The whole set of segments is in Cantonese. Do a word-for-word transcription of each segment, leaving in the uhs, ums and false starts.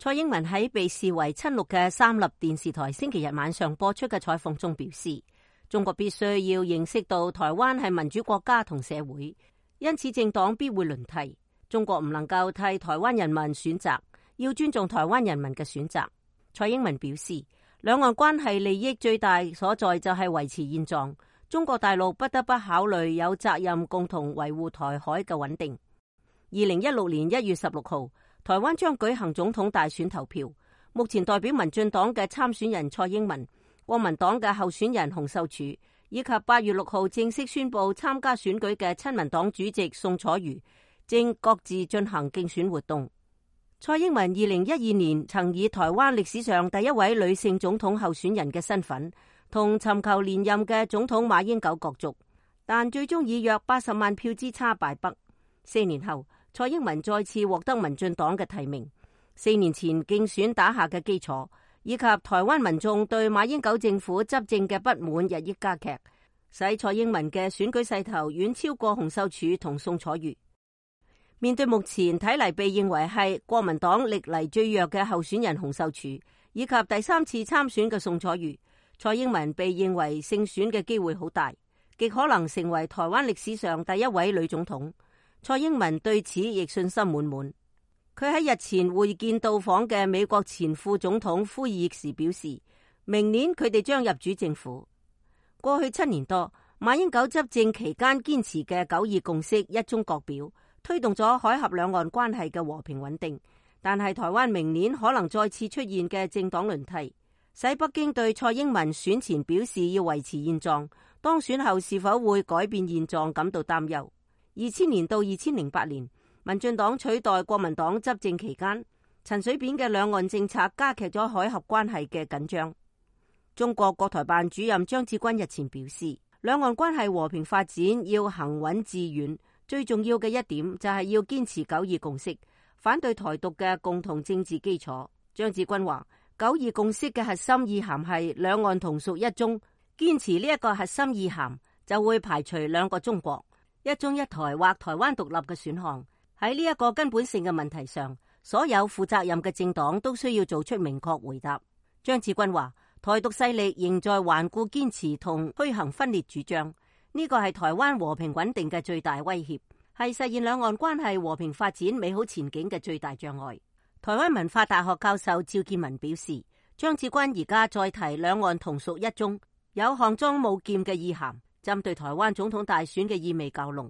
蔡英文喺被視為親綠嘅三立電視台星期日晚上播出嘅採訪中表示，中國必須要認識到台灣係民主國家同社會，因此政黨必會輪替。中國唔能夠替台灣人民選擇，要尊重台灣人民嘅選擇。蔡英文表示，兩岸關係利益最大所在就係維持現狀，中國大陸不得不考慮有責任共同維護台海嘅穩定。二零一六年一月十六號，台灣將舉行總統大選投票，目前代表民進黨嘅參選人蔡英文、國民黨嘅候選人洪秀柱，以及八月六號正式宣布參加選舉嘅親民黨主席宋楚瑜，正各自進行競選活動。蔡英文二零一二年曾以台灣歷史上第一位女性總統候選人嘅身份，同尋求連任嘅總統馬英九角逐，但最終以約八十萬票之差敗北。四年後，蔡英文再次獲得民進黨嘅提名。四年前競選打下嘅基礎，以及台灣民眾對馬英九政府執政嘅不滿日益加劇，使蔡英文嘅選舉勢頭遠超過洪秀柱同宋楚瑜。面對目前睇嚟被認為係國民黨歷嚟最弱嘅候選人洪秀柱，以及第三次參選嘅宋楚瑜，蔡英文被認為勝選嘅機會好大，極可能成為台灣歷史上第一位女總統。蔡英文對此亦信心滿滿。佢喺日前會見到訪嘅美國前副總統呼爾時表示，明年佢哋將入主政府。過去七年多，馬英九執政期間堅持嘅九二共識一中各表，推動咗海峽兩岸關係嘅和平穩定，但係台灣明年可能再次出現嘅政黨輪替，使北京對蔡英文選前表示要維持現狀，當選後是否會改變現狀感到擔憂。二千年到二千零八年，民進黨取代國民黨執政期間，陳水扁嘅兩岸政策加劇咗海峽關係嘅緊張。中國國台辦主任張志軍日前表示，兩岸關係和平發展要行穩致遠，最重要嘅一點就係要堅持九二共識，反對台獨嘅共同政治基礎。張志軍話，九二共識嘅核心意涵係兩岸同屬一中，堅持呢一個核心意涵就會排除兩個中國、一中一台或台灣獨立嘅選項。喺呢一個根本性嘅問題上，所有負責任嘅政黨都需要做出明確回答。張志軍話，台獨勢力仍在頑固堅持同推行分裂主張，呢個係台灣和平穩定嘅最大威脅，係實現兩岸關係和平發展美好前景嘅最大障礙。台灣文化大學教授趙建文表示，張志軍而家再提兩岸同屬一中，有項莊舞劍嘅意涵，針對台灣總統大選嘅意味較濃。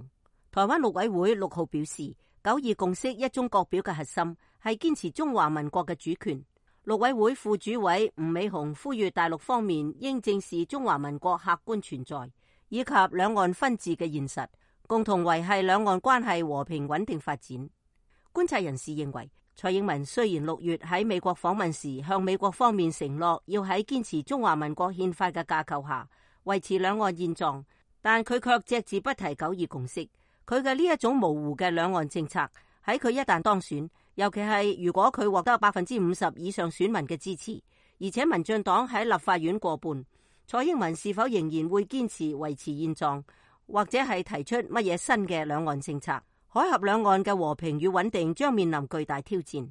台灣陸委會六號表示，九二共識一中各表嘅核心係堅持中華民國嘅主權。陸委會副主委吳美雄呼籲大陸方面應正視中華民國客觀存在，以及兩岸分治嘅現實，共同維繫兩岸關係和平穩定發展。觀察人士認為，蔡英文雖然六月喺美國訪問時向美國方面承諾要喺堅持中華民國憲法嘅架構下維持兩岸現狀，但佢卻隻字不提九二共識。佢嘅呢一種模糊嘅兩岸政策，喺佢一旦當選，尤其係如果佢獲得百分之五十以上選民嘅支持，而且民進黨喺立法院過半，蔡英文是否仍然會堅持維持現狀，或者係提出乜嘢新嘅兩岸政策？海峽兩岸嘅和平與穩定將面臨巨大挑戰。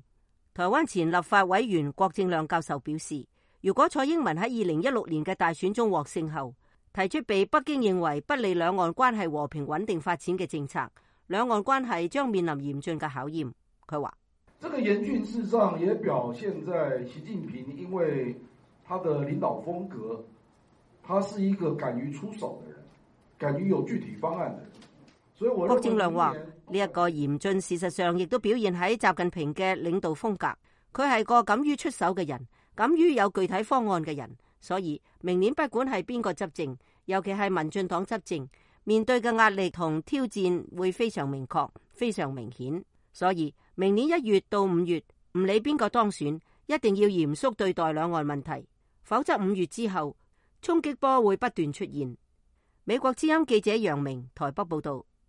台灣前立法委員郭正亮教授表示，如果蔡英文喺二零一六年嘅大選中獲勝後，提出被北京認為不利兩岸關係和平穩定發展嘅政策，兩岸關係將面臨嚴峻嘅考驗。佢話：這個嚴峻事實上也表現在習近平，因為他的領導風格，他是一個敢於出手的人，敢於有具體方案的人。所以我郭正亮話：呢一個嚴峻事實上亦都表現喺習近平嘅領導風格，佢係個敢於出手嘅人，敢於有具體方案嘅人。所以明年不管係邊個執政，尤其係民進黨執政，面對嘅壓力同挑戰會非常明確、非常明顯。所以明年一月到五月，唔理邊個當選，一定要嚴肅對待兩岸問題，否則五月之後衝擊波會不斷出現。美國之音記者楊明台北報道。